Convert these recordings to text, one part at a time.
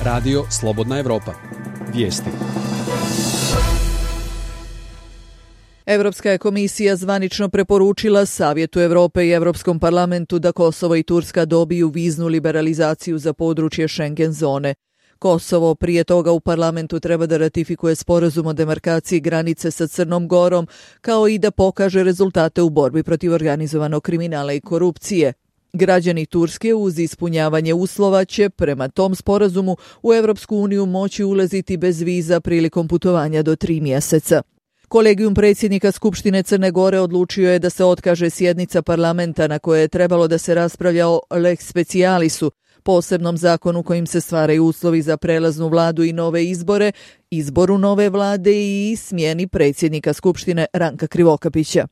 Radio Slobodna Evropa. Vijesti. Europska je komisija zvanično preporučila Savjetu Europe i Europskom parlamentu da Kosovo i Turska dobiju viznu liberalizaciju za područje Schengen zone. Kosovo prije toga u parlamentu treba da ratifikuje sporazum o demarkaciji granice sa Crnom Gorom, kao i da pokaže rezultate u borbi protiv organizovanog kriminala i korupcije. Građani Turske uz ispunjavanje uslova će prema tom sporazumu u Europsku uniju moći ulaziti bez viza prilikom putovanja do 3 mjeseca. Kolegijum predsjednika Skupštine Crne Gore odlučio je da se otkaže sjednica parlamenta na kojoj je trebalo da se raspravlja o lex specialisu, posebnom zakonu kojim se stvaraju uslovi za prelaznu vladu i nove izbore, izboru nove vlade i smjeni predsjednika Skupštine Ranka Krivokapića.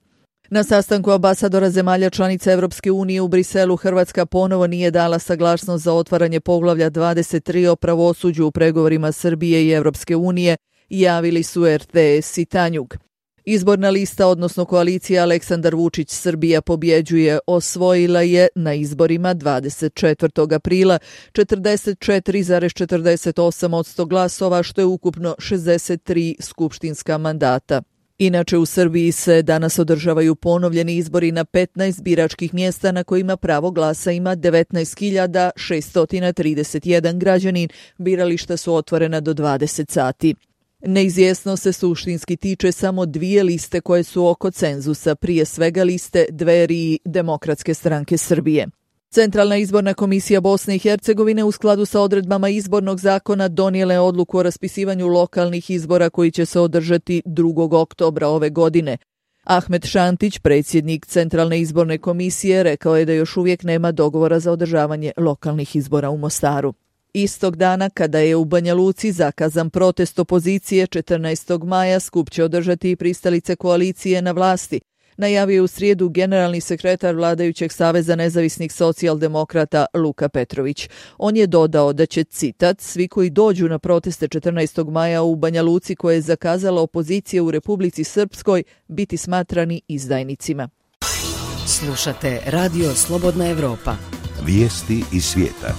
Na sastanku ambasadora zemalja članica Europske unije u Briselu Hrvatska ponovo nije dala saglasnost za otvaranje poglavlja 23 o pravosuđu u pregovorima Srbije i Europske unije, javili su RTS i Tanjug. Izborna lista, odnosno koalicija Aleksandar Vučić Srbija pobjeđuje, osvojila je na izborima 24. aprila 44,48% glasova, što je ukupno 63 skupštinska mandata. Inače, u Srbiji se danas održavaju ponovljeni izbori na 15 biračkih mjesta na kojima pravo glasa ima 19.631 građanin. Birališta su otvorena do 20 sati. Neizvjesno se suštinski tiče samo 2 liste koje su oko cenzusa, prije svega liste Dveri i Demokratske stranke Srbije. Centralna izborna komisija Bosne i Hercegovine u skladu sa odredbama izbornog zakona donijela je odluku o raspisivanju lokalnih izbora koji će se održati 2. oktobra ove godine. Ahmet Šantić, predsjednik Centralne izborne komisije, rekao je da još uvijek nema dogovora za održavanje lokalnih izbora u Mostaru. Istog dana, kada je u Banja Luci zakazan protest opozicije 14. maja, skup će održati i pristalice koalicije na vlasti, najavio je u srijedu generalni sekretar vladajućeg Saveza nezavisnih socijaldemokrata Luka Petrović. On je dodao da će, citat, svi koji dođu na proteste 14. maja u Banja Luci koje je zakazala opozicija u Republici Srpskoj biti smatrani izdajnicima. Slušate Radio Slobodna Evropa. Vijesti iz svijeta.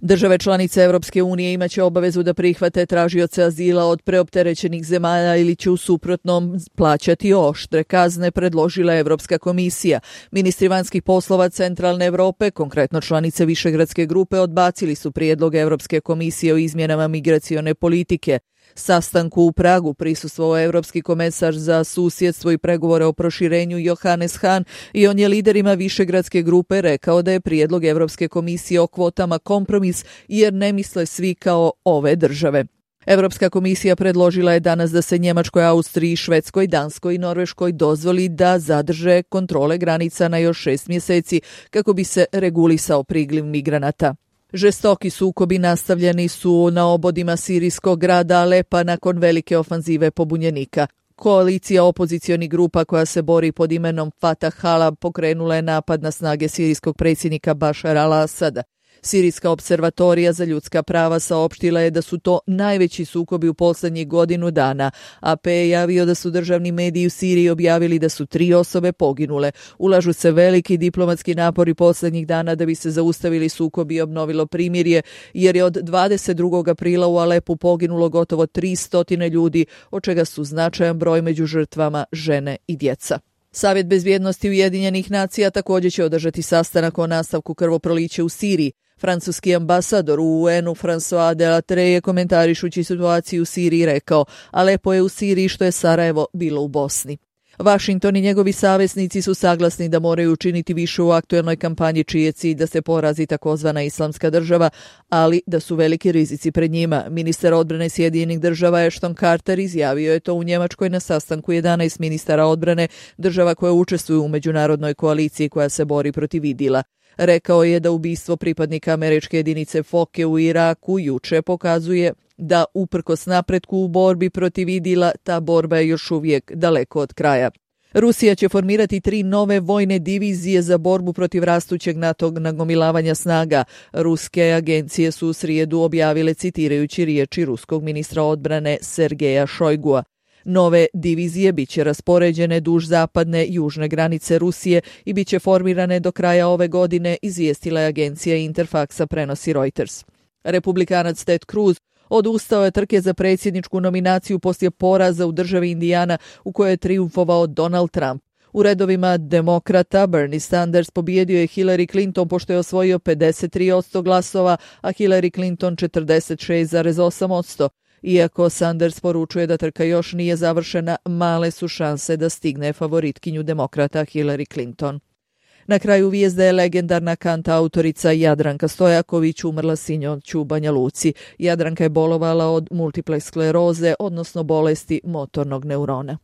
Države članice Europske unije imaće obavezu da prihvate tražioce azila od preopterećenih zemalja ili će u suprotnom plaćati oštre kazne, predložila Europska komisija. Ministri vanjskih poslova Centralne Europe, konkretno članice Višegradske grupe, odbacili su prijedlog Europske komisije o izmjenama migracione politike. Sastanku u Pragu prisustvovao Europski komesar za susjedstvo i pregovore o proširenju Johannes Hahn i on je liderima Višegradske grupe rekao da je prijedlog Europske komisije o kvotama kompromis jer ne misle svi kao ove države. Europska komisija predložila je danas da se Njemačkoj, Austriji, Švedskoj, Danskoj i Norveškoj dozvoli da zadrže kontrole granica na još 6 mjeseci kako bi se regulisao priliv migranata. Žestoki sukobi nastavljeni su na obodima sirijskog grada Alepa nakon velike ofanzive pobunjenika. Koalicija opozicionih grupa koja se bori pod imenom Fatah Halab pokrenula je napad na snage sirijskog predsjednika Bašara al-Asada. Sirijska observatorija za ljudska prava saopštila je da su to najveći sukobi u posljednjih godinu dana. AP je javio da su državni mediji u Siriji objavili da su 3 osobe poginule. Ulažu se veliki diplomatski napori posljednjih dana da bi se zaustavili sukobi i obnovilo primirje, jer je od 22. aprila u Alepu poginulo gotovo 300 ljudi, od čega su značajan broj među žrtvama žene i djeca. Savjet bezbjednosti Ujedinjenih nacija također će održati sastanak o nastavku krvoprolića u Siriji. Francuski ambasador u UN-u François Delattre je komentarišući situaciju u Siriji rekao: Alepo je u Siriji što je Sarajevo bilo u Bosni. Washington i njegovi saveznici su saglasni da moraju učiniti više u aktuelnoj kampanji čiji je cilj da se porazi takozvana islamska država, ali da su veliki rizici pred njima. Ministar odbrane Sjedinjenih država Ashton Carter izjavio je to u Njemačkoj na sastanku 11 ministara odbrane država koje učestvuju u međunarodnoj koaliciji koja se bori protiv IDIL-a. Rekao je da ubistvo pripadnika američke jedinice Foke u Iraku juče pokazuje da uprkos napretku u borbi protiv IDIL-a ta borba je još uvijek daleko od kraja. Rusija će formirati 3 nove vojne divizije za borbu protiv rastućeg NATO nagomilavanja snaga. Ruske agencije su u srijedu objavile citirajući riječi ruskog ministra odbrane Sergeja Šojgua. Nove divizije bit će raspoređene duž zapadne i južne granice Rusije i bit će formirane do kraja ove godine, izvijestila je agencija Interfaxa, prenosi Reuters. Republikanac Ted Cruz odustao je trke za predsjedničku nominaciju poslije poraza u državi Indijana u kojoj je trijumfovao Donald Trump. U redovima demokrata Bernie Sanders pobijedio je Hillary Clinton pošto je osvojio 53% glasova, a Hillary Clinton 46,8%. Iako Sanders poručuje da trka još nije završena, male su šanse da stigne favoritkinju demokrata Hillary Clinton. Na kraju vijest da je legendarna kantautorica Jadranka Stojaković umrla sinoć u Banja Luci. Jadranka je bolovala od multiple skleroze, odnosno bolesti motornog neurona.